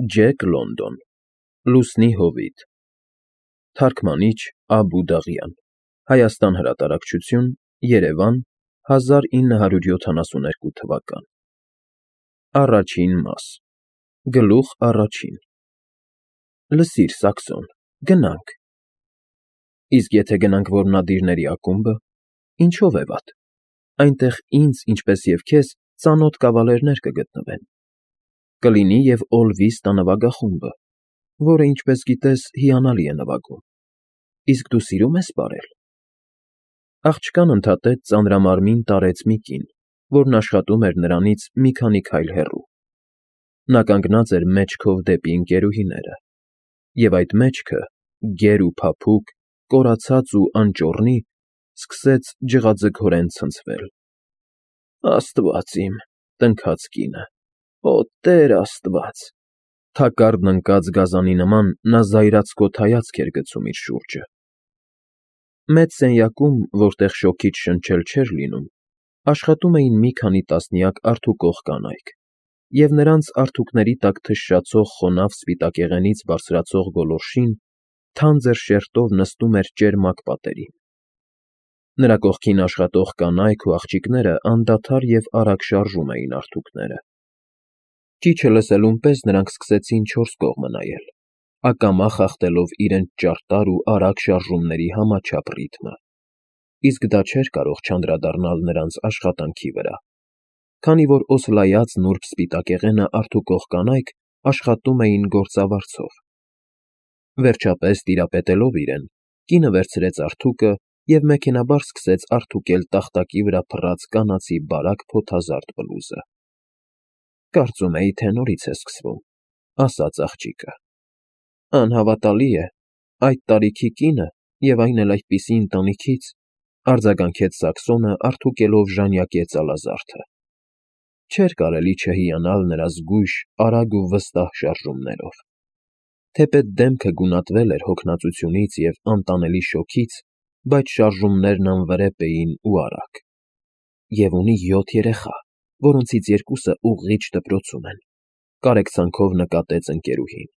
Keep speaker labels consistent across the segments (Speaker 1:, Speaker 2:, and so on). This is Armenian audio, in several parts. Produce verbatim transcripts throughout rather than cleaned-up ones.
Speaker 1: Ջեք Լոնդոն Լուսնի հովիտ Թարգմանիչ Աբու Դաղյան Հայաստան հրատարակչություն Երևան հազար ինը հարյուր յոթանասունութ թվական Առաջին մաս Գլուխ առաջին Լսիր, Սաքսոն, գնանք։ Իսկ եթե գնանք որմնադիրների ակումբը, ինչո՞վ է վատ, այնտեղ ինձ, ինչպես և քեզ, ծանոթ կավալերներ կգտնվեն, կլինի և Օլվիստ անվագախումբը, որը, ինչպես գիտես, հիանալի է նվագում, իսկ դու սիրում ես պարել։ Աղջկան ընդհատեց ծանրամարմին տարեց մի կին, որն աշխատում էր նրանից մի քանի քայլ հեռու։ Նա կանգնած էր մեջքով դեպի ընկերուհիները, և այդ մեջքը, գեր ու փափուկ, կորացած ու անճոռնի, սկսեց ջղաձգորեն ցնցվել։ Աստված իմ, տնքաց կինը, օ Տեր Աստված… Թակարդն ընկած գազանի նման նա զայրացկոտ հայացք էր գցում իր շուրջը։ Մեծ սենյակում, որտեղ շոգից շնչել չէր լինում, աշխատում էին մի քանի տասնյակ արթուկող կանայք, և նրանց արթուկների տակ թշշացող խոնավ սպիտակեղենից բարձրացող գոլորշին թանձր շերտով նստում էր ճերմակ պատերին։ Նրա կողքին աշխատող կանայք ու աղջիկները անդադար և արագ շարժում էին արթուկները։ Ճիչը լսելուն պես նրանք սկսեցին չորս կողմը նայել, ակամա խախտելով իրենց ճարտար ու արագ շարժումների համաչափ ռիթմը, իսկ դա չէր կարող չանդրադառնալ նրանց աշխատանքի վրա, քանի որ օսլայած նուրբ սպիտակեղենը արթուկող կանայք աշխատում էին գործավարձով։ Վերջապես, տիրապետելով իրեն, կինը վերցրեց արթուկը և մեքենաբար սկսեց արթուկել տախտակի վրա փռած կանացի բարակ փոթազարդ բլուզը։ Կարծում էի, թե նորից է սկսվում, ասաց աղջիկը։ Անհավատալի է, այդ տարիքի կինը և այն էլ այդպիսի ընտանիքից, արձագանքեց Սաքսոնը արթուկելով ժանյակե ծալազարդը։ Չէր կարելի չհիանալ նրա զգույշ, արագ ու վստահ շարժումներով։ Թեպետ դեմքը գունատվել էր հոգնածությունից և անտանելի շոգից, բայց շարժումներն անվրեպ էին ու արագ։ Եվ ունի յոթ երեխա, որոնցից երկուսը ուղղիչ դպրոցում են, կարեկցանքով նկատեց ընկերուհին։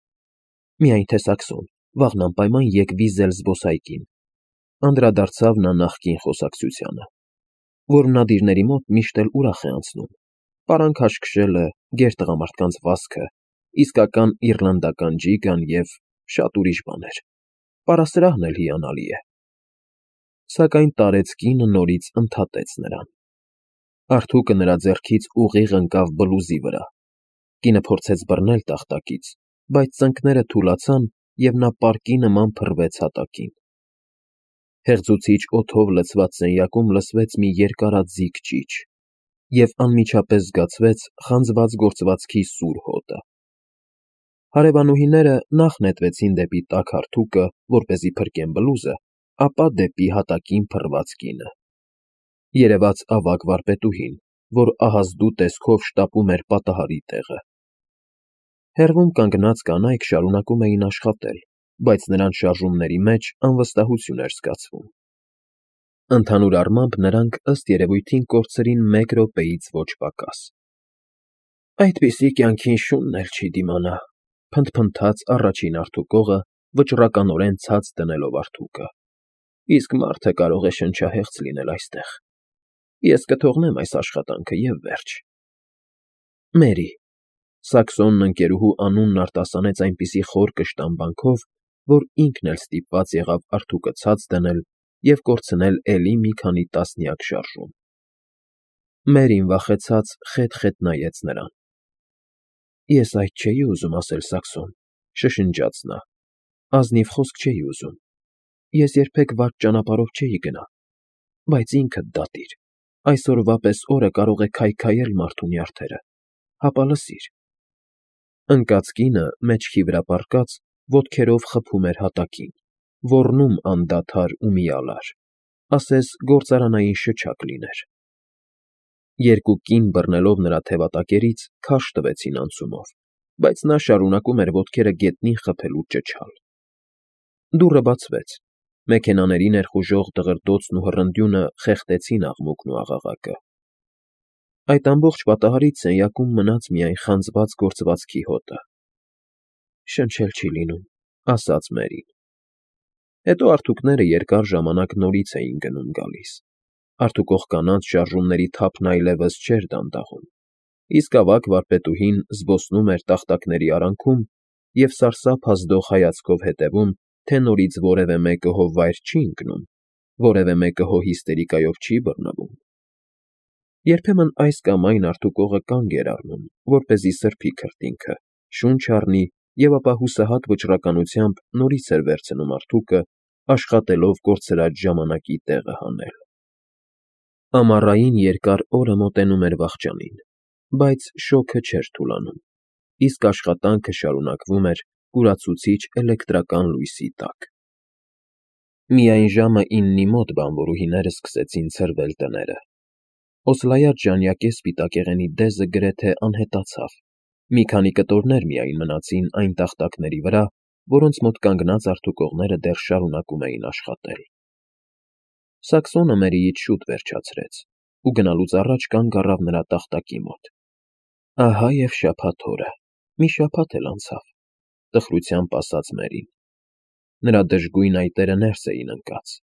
Speaker 1: Միայն թե Սաքսոն, վաղն անպայման եկ վիզել զբոսայգին, անդրադարձավ նա նախկին խոսակցությանը։ Որմնադիրների մոտ միշտ էլ ուրախ է անցնում, պարան քաշքշելը, գեր տղամարդկանց վազքը, իսկական իռլանդական ջիգան և շատ ուրիշ բաներ, պարասրահն էլ հիանալի է։ Սակայն տարեց կինը նորից ընդհատեց նրան։ Արթուկը նրա ձեռքից ուղիղ ընկավ բլուզի վրա։ Կինը փորձեց բռնել տախտակից, բայց ծնկները թուլացան, և նա պարկի նման փռվեց հատակին։ Հեղձուցիչ օդով լցված սենյակում լսվեց մի երկարաձիգ ճիչ, և անմիջապես զգացվեց խանձված գործվածքի սուր հոտը։ Հարևանուհիները նախ նետվեցին դեպի տաք հարթուկը, որպեսզի փրկեն բլուզը, ապա դեպի հատակին փռված կինը։ Երևաց ավագ վարպետուհին, որ ահազդու տեսքով շտապում էր պատահարի տեղը։ Հեռվում կանգնած կանայք շարունակում էին աշխատել, բայց նրանց շարժումների մեջ անվստահություն էր զգացվում։ Ընդհանուր առմամբ նրանք, ըստ երևույթին, կորցրին մեկ րոպեից ոչ պակաս։ Այդպիսի կյանքին շունն էլ չի դիմանա, փնթփնթաց առաջին արթուկողը, վճռականորեն ցած դնելով արթուկը։ Իսկ մարդը կարող է շնչահեղձ լինել այստեղ։ Ես կթողնեմ այս աշխատանքը և վերջ։ Մերի… Սաքսոնն ընկերուհու անունն արտասանեց այնպիսի խոր կշտամբանքով, որ ինքն էլ ստիպված եղավ արթուկը ցած դնել և կորցնել էլի մի քանի տասնյակ շարժում։ Մերին վախեցած խետ֊խետ նայեց նրան։ Ես այդ չէի ուզում ասել, Սաքսոն, շշնջաց նա, ազնիվ խոսք չէի ուզում, ես երբեք վատ ճանապարհով չէի գնա, բայց ինքդ դատիր, այսօրվա պես օրը կարող է քայքայել մարդու նյարդերը, հապա լսիր… Ընկած կինը, մեջքի վրա պառկած, ոտքերով խփում էր հատակին, ոռնում անդադար ու միալար, ասես գործարանային շչակ լիներ։ Երկու կին բռնելով նրա թևատակերից քարշ տվեցին անցումով, բայց նա շարունակում էր ոտքերը գետնին խփել ու ճչալ։ Դուռը բացվեց, մեքենաների ներխուժող դղրդոցն ու հռնդյունը խեղդեցին աղմուկն ու աղաղակը։ Այդ ամբողջ պատահարից սենյակում մնաց միայն խանձված գործվածքի հոտը։ Շնչել չի լինում, ասաց Մերին։ Հետո արթուկները երկար ժամանակ նորից էին գնում գալիս։ Արթուկող կանանց շարժումների թափն այլևս չէր դանդաղում, իսկ ավագ վարպետուհին զբոսնում էր տախտակների արանքում և սարսափ ազդող հայացքով հետևում, թե նորից որևէ մեկը հո վայր չի ընկնում, որևէ մեկը հո հիստերիկայով չի բռնվում։ Երբեմն այս կամ այն արթուկողը կանգ էր առնում, որպեսզի սրբի քրտինքը, շունչ առնի և ապա հուսահատ վճռականությամբ նորից էր վերցնում արթուկը, աշխատելով կորցրած ժամանակի տեղը հանել։ Ամառային երկար օրը մոտենում էր վախճանին, բայց շոգը չէր թուլանում, իսկ աշխատանքը շարունակվում էր կուրացուցիչ էլեկտրական լույսի տակ։ Միայն ժամը իննի մոտ բանվորուհիները սկսեցին ցրվել տները։ Օսլայած ժանյակե սպիտակեղենի դեզը գրեթե անհետացավ, մի քանի կտորներ միայն մնացին այն տախտակների վրա, որոնց մոտ կանգնած արթուկողները դեռ շարունակում էին աշխատել։ Սաքսոնը Մերիից շուտ վերջացրեց ու գնալուց առաջ կանգ առավ նրա տախտակի մոտ։ Ահա և շաբաթ օրը, մի շաբաթ էլ անցավ, տխրությամբ ասաց Մերին։ Նրա դժգույն այտերը ներս էին ընկած,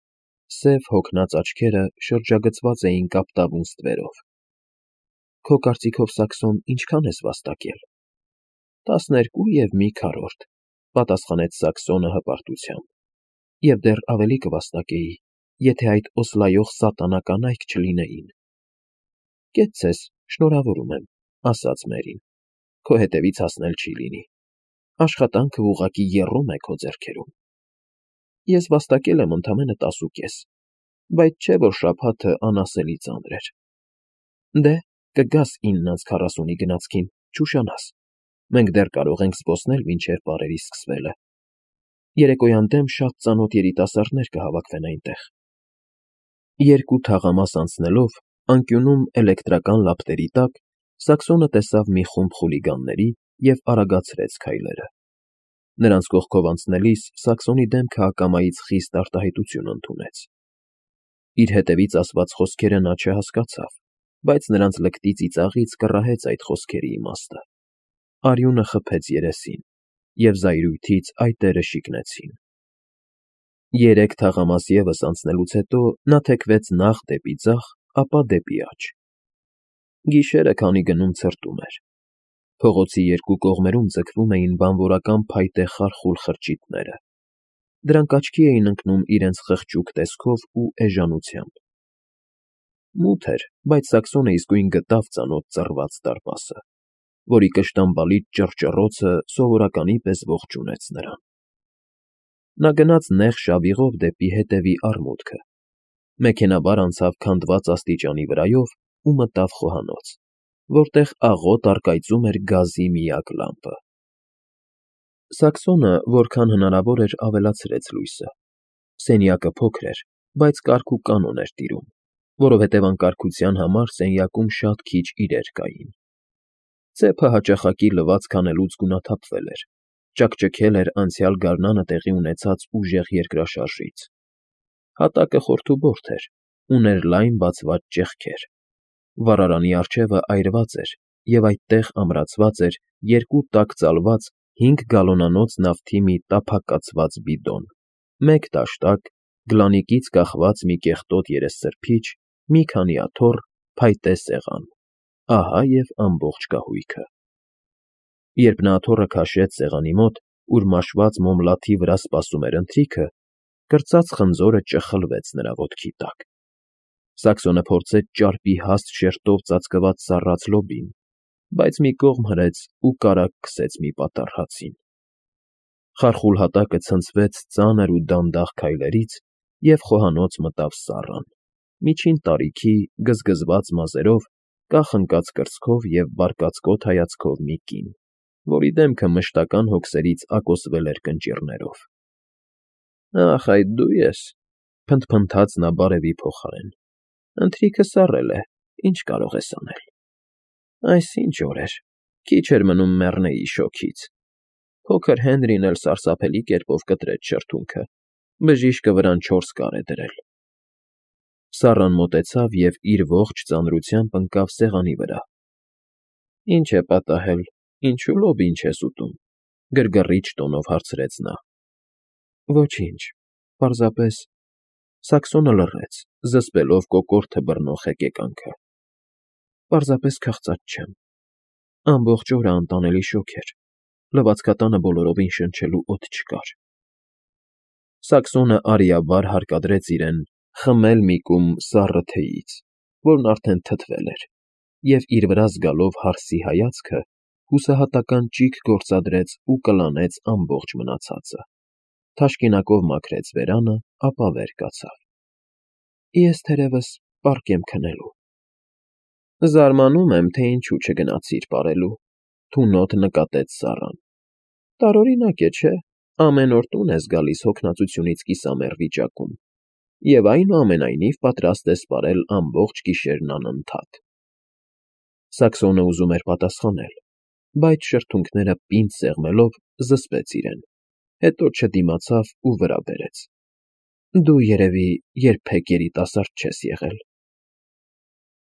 Speaker 1: սև հոգնած աչքերը շրջագծված էին կապտավուն ստվերով։ Քո կարծիքով, Սաքսոն, ինչքան ես վաստակել։ Տասներկու և մի քառորդ, պատասխանեց Սաքսոնը հպարտությամբ, և դեռ ավելի կվաստակեի, եթե այդ օսլայող սատանա կանայք չլինեին։ Կեցցես, շնորհավորում եմ, ասաց Մերին, քո հետևից հասնել չի լինի։ Աշխատանքը ուղղակի եռում է քո ձեռքերում։ Ես վաստակել եմ ընդամենը տասուկես, բայց չէ որ շաբաթը անասելի ծանր էր։ Դե, կգաս ինն անց քառասունի գնացքին, չուշանաս։ Մենք դեռ կարող ենք զբոսնել մինչև պարերի սկսվելը։ Երեկոյան դեմ շատ ծանոթ երիտասարդներ կհավաքվեն այնտեղ։ Երկու թաղամաս անցնելով, անկյունում էլեկտրական լապտերի տակ Սաքսոնը տեսավ մի խումբ խուլիգանների և արագացրեց քայլերը։ Նրանց կողքով անցնելիս Սաքսոնի դեմքը ակամայից խիստ արտահայտություն ընդունեց։ Իր հետևից ասված խոսքերը նա չհասկացավ, բայց նրանց լկտի ծիծաղից կռահեց այդ խոսքերի իմաստը։ Արյունը խփեց երեսին, և զայրույթից այտերը շիկնեցին։ Երեք թաղամաս ևս անցնելուց հետո նա թեքվեց նախ դեպի ձախ, ապա դեպի աջ։ Գիշերը քանի գնում ցրտում էր։ Փողոցի երկու կողմերում ձգվում էին բանվորական փայտե խարխուլ խրճիթները։ Դրանք աչքի էին ընկնում իրենց խղճուկ տեսքով ու էժանությամբ։ Մութ էր, բայց Սաքսոնը իսկույն գտավ ծանոթ ծռված դարպասը, որի կշտամբալից ճռճռոցը սովորականի պես ողջունեց նրան։ Նա գնաց նեղ շավիղով դեպի հետևի արմուտքը, մեքենայաբար անցավ քանդված աստիճանի վրայով ու մտավ խոհանոց, որտեղ աղոտ առկայծում էր գազի միակ լամպը։ Սաքսոնը որքան հնարավոր էր ավելացրեց լույսը։ Սենյակը փոքր էր, բայց կարգ ու կանոն էր տիրում, որովհետև անկարգության համար սենյակում շատ քիչ իրեր կային։ Ծեփը հաճախակի լվացք անելուց գունաթափվել էր, ճաքճքել էր անցյալ գարնանը տեղի ունեցած ուժեղ երկրաշարժից։ Հատակը խորթուբորդ էր, ուներ լայն բացված ճեղքեր։ Վառարանի առջևը այրված էր, և այդտեղ ամրացված էր երկու տաք ծալված հինգ գալոնանոց նավթի մի տափակացված բիդոն, մեկ դաշտակ, գլանիկից կախված մի կեղտոտ երեսսրբիչ, մի քանի աթոռ, փայտե սեղան։ Ահա և ամբողջ կահույքը։ Երբ նա աթոռը քաշեց սեղանի մոտ, ուր մաշված մոմլաթի վրա սպասում էր ընթրիքը, կրծած խնձորը ճխլվեց նրա ոտքի տակ։ Սաքսոնը փորձեց ճարպի հաստ շերտով ծածկված սառած լոբին, բայց մի կողմ հրեց ու կարագ քսեց մի պատառ հացին։ Խարխուլ հատակը ցնցվեց ծանր ու դանդաղ քայլերից և խոհանոց մտավ Սառան, միջին տարիքի, գզգզված մազերով, կախ ընկած կրծքով և բարկացկոտ հայացքով մի կին, որի դեմքը մշտական հոգսերից ակոսվել էր կնճիռներով։ Ախ, այդ դու ես,֊ փնթփնթաց նա բարևի փոխարեն։ Ընթրիքը սառել է, ինչ կարող ես անել։ Այս ինչ օր էր, քիչ էր մնում մեռնեի շոգից։ Փոքր Հենրին էլ սարսափելի կերպով կտրեց շրթունքը, բժիշկը վրան չորս կար է դրել։ Սառան մոտեցավ և իր ողջ ծանրությամբ ընկավ սեղանի վրա։ Ինչ է պատահել, ինչու լոբին չես ուտում։ Գրգռիչ տոնով հարցրեց նա։ Ոչինչ, պարզապես… Սաքսոնը լռեց, զսպելով կոկորդը բռնող հեկեկանքը։ Պարզապես քաղցած չեմ… Ամբողջ օրը անտանելի շոգ էր, լվացքատանը բոլորովին շնչելու օդ չկար… Սաքսոնը արիաբար հարկադրեց իրեն խմել մի կում սառը թեյից, որն արդեն թթվել էր, և իր վրա զգալով հարսի հայացքը, հուսահատական ճիգ գործադրեց ու կլանեց ամբողջ մնացածը, թաշկինակով մաքրեց բերանը, ապա վեր կացավ։ Ես թերևս պառկ եմ քնելու… Զարմանում եմ, թե ինչու չգնացիր պարելու, թունոտ նկատեց Սառան։ Տարօրինակ է, չէ՞, ամեն օր տուն ես գալիս հոգնածությունից կիսամեռ վիճակում, և այնուամենայնիվ պատրաստ ես պարել ամբողջ գիշերն անընդհատ… Սաքսոնը ուզում էր պատասխանել, բայց շրթունքները պինդ սեղմելով զսպեց իրեն, հետո չդիմացավ ու վրա բերեց։ Դու, երևի, երբեք երիտասարդ չես եղել…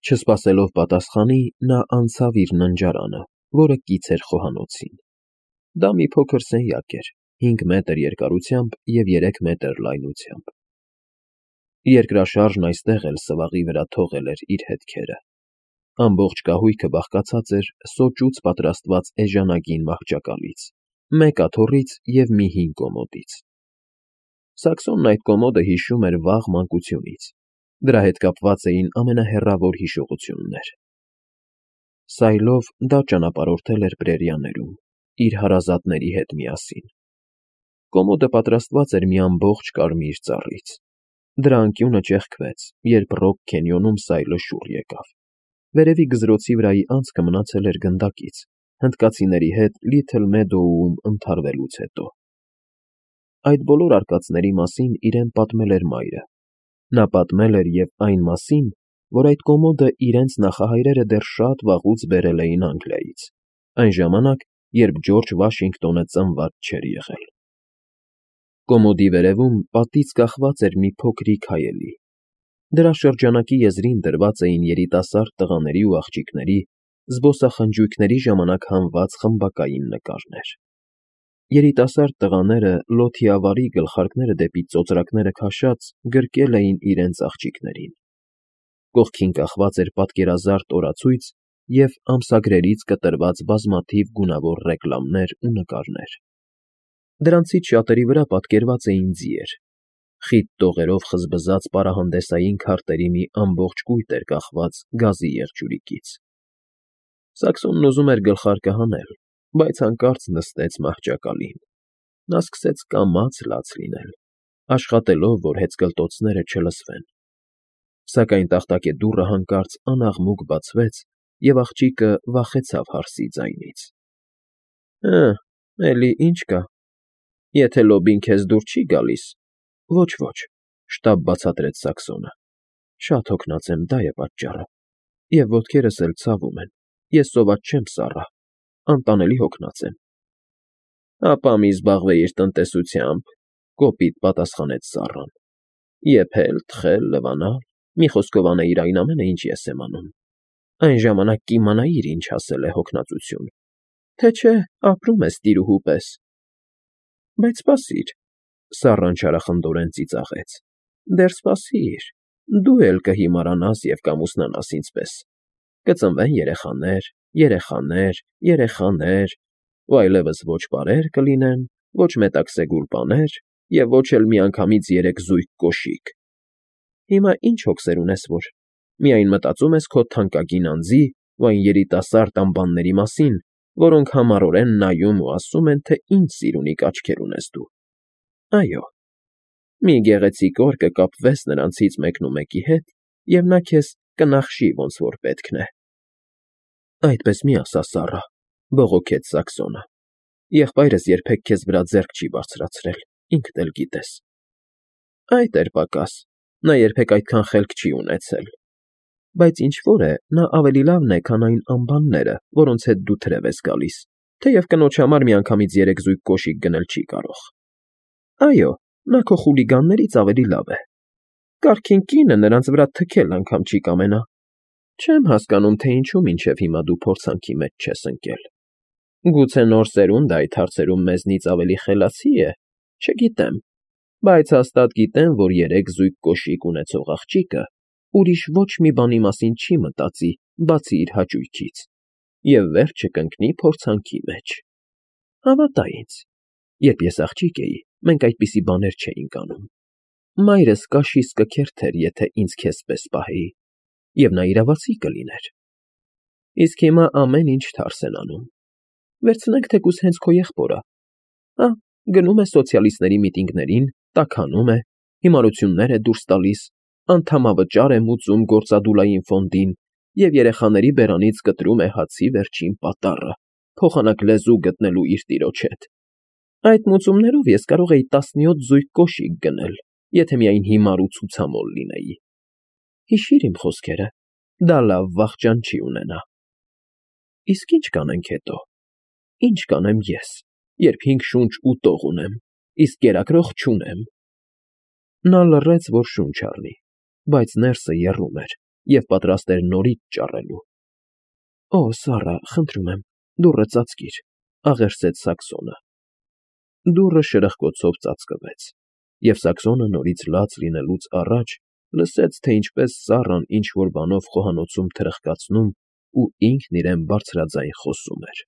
Speaker 1: Չսպասելով պատասխանի, նա անցավ իր ննջարանը, որը կից էր խոհանոցին։ Դա մի փոքր սենյակ էր, հինգ մետր երկարությամբ և երեք մետր լայնությամբ։ Երկրաշարժն այստեղ էլ սվաղի վրա թողել էր իր հետքերը։ Ամբողջ կահույքը բաղկացած էր սոճուց պատրաստված էժանագին մահճակալից, մեկ աթոռից և մի հին կոմոդից։ Սաքսոնն այդ կոմոդը հիշում էր վաղ մանկությունից, դրա հետ կապված էին ամենահեռավոր հիշողություններ։ Սայլով դա ճանապարհորդել էր Պրերիաներում, իր հարազատների հետ միասին։ Կոմոդը պատրաստված էր մի ամբողջ կարմիր ծառից։ Դրա անկյունը ճեղքվեց, երբ Ռոք Քենյոնում սայլը շուռ եկավ։ Վերևի գզրոցի վրայի անցքը մնացել էր գնդակից, հնդկացիների հետ Լիթլ Մեդոուում ընդհարվելուց հետո։ Այդ բոլոր արկածների մասին իրեն պատմել էր մայրը։ Նա պատմել էր և այն մասին, որ այդ կոմոդը իրենց նախահայրերը դեռ շատ վաղուց բերել էին Անգլիայից, այն ժամանակ, երբ Ջորջ Վաշինգտոնը ծնված չէր եղել։ Կոմոդի վերևում պատից կախված էր մի փոքրիկ հայելի։ Դրա շրջանակի եզրին դրված էին երիտասարդ տղաների ու աղջիկների, զբոսախնջույքների ժամանակ հանված խմբակային նկարներ։ Երիտասարդ տղաները լոթիավարի գլխարկները դեպի ծոծրակները քաշած գրկել էին իրենց աղջիկներին։ Կողքին կախված էր պատկերազարդ օրացույց և ամսագրերից կտրված բազմաթիվ գունավոր ռեկլամներ ու նկարներ։ Դրանցից շատերի վրա պատկերված էին ձիեր։ Խիտ տողերով խզբզած պարահանդեսային քարտերի մի ամբողջ կույտ էր կախված գազի եղջյուրիկից։ Սաքսոնն ուզում էր գլխարկը հանել, բայց հանկարծ նստեց մահճակալին։ Նա սկսեց կամաց լաց լինել, աշխատելով, որ հեծկլտոցները չլսվեն։ Սակայն տախտակե դուռը հանկարծ անաղմուկ բացվեց, և աղջիկը վախեցավ հարսի ձայնից։ Հը, էլի ի՞նչ կա… Եթե Լոբին քեզ դուր չի գալիս… Ոչ, ոչ, շտապ բացատրեց Սաքսոնը։ Շատ հոգնած եմ, դա է պատճառը, և ոտքերս էլ ցավում են, ես սոված չեմ, Սառա, անտանելի հոգնած եմ։ Ապա մի զբաղվեիր տնտեսությամբ, կոպիտ պատասխանեց Սառան։ Եփել, թխել, լվանալ, մի խոսքով անեիր այն ամենը, ինչ ես եմ անում։ Այն ժամանակ կիմանայիր ինչ ասել է հոգնածություն, թե չէ ապրում ես տիրուհու պես։ Բայց սպասիր, Սառան չարախնդորեն ծիծաղեց, դեռ սպասիր, դու էլ կհիմարանաս և կամուսնանաս ինձ պես, կծնվեն երեխաներ, երեխաներ, երեխաներ, ու այլևս ոչ պարեր կլինեն, ոչ մետաքսե գուլպաներ և ոչ էլ միանգամից երեք զույգ կոշիկ։ Հիմա ինչ հոգսեր ունես, որ միայն մտածում ես քո թանկագին անձի ու այն երիտասարդ անբանների մասին, որոնք համառորեն նայում ու ասում են, թե ինչ սիրունիկ աչքեր ունես դու։ Այո, մի գեղեցիկ օր կկապվես նրանցից մեկնումեկի հետ, և նա քեզ կնախշի ոնց որ պետքն է։ Այդպես մի ասա, Սառա, բողոքեց Սաքսոնը։ Եղբայրս երբեք քեզ վրա ձեռք չի բարձրացրել, ինքդ էլ գիտես։ Այդ էր պակաս, նա երբեք այդքան խելք չի ունեցել։ Բայց ինչ֊որ է, նա ավելի լավն է, քան այն անբանները, որոնց հետ դու թրև ես գալիս, թեև կնոջ համար միանգամից երեք զույգ կոշիկ գնել չի կարող։ Այո, նա քո խուլիգաններից ավելի լավ է։ Կարգին կինը նրանց վրա թքել անգամ չի կամենա։ Չեմ հասկանում, թե ինչու մինչև հիմա դու փորձանքի մեջ չես ընկել։ Գուցե նոր սերունդը այդ հարցերում մեզնից ավելի խելացի է, չգիտեմ, բայց հաստատ գիտեմ, որ երեք զույգ կոշիկ ունեցող աղջիկը ուրիշ ոչ մի բանի մասին չի մտածի, բացի իր հաճույքից, և վերջը կընկնի փորձանքի մեջ։ Հավատա ինձ, երբ ես աղջիկ էի, մենք այդպիսի բաներ չէինք անում։ Մայրս կաշիս կքերթեր, եթե ինձ քեզ պես պահեի, և նա իրավացի կլիներ։ Իսկ հիմա ամեն ինչ թարս են անում։ Վերցնենք թեկուզ հենց քո եղբորը. հա, գնում է սոցիալիստների միտինգներին, տաքանում է, հիմարություններ է դուրս տալիս, անդամավճար է մուծում գործադուլային ֆոնդին և երեխաների բերանից կտրում է հացի վերջին պատառը, փոխանակ լեզու գտնելու իր տիրոջ հետ։ Այդ մուծումներով ես կարող էի տասնյոթ զույգ կոշիկ գնել, եթե միայն հիմար ու ցուցամոլ լինեի։ Հիշիր իմ խոսքերը, դա լավ վախճան չի ունենա։ Իսկ ի՞նչ կանենք հետո։ Ի՞նչ կանեմ ես, երբ հինգ շունչ ու տող ունեմ, իսկ կերակրող չունեմ։ Նա լռեց, որ շունչ առնի, բայց ներսը եռում էր և պատրաստ էր նորից ճառելու։ Օ, Սառա, խնդրում եմ, դուռը ծածկիր, ֊ աղերսեց Սաքսոնը։ Դուռը շրխկոցով ծածկվեց, և Սաքսոնը նորից լաց լինելուց առաջ լսեց, թե ինչպես Սառան ինչ֊որ բանով խոհանոցում թրխկացնում ու ինքն իրեն բարձրաձայն խոսում էր։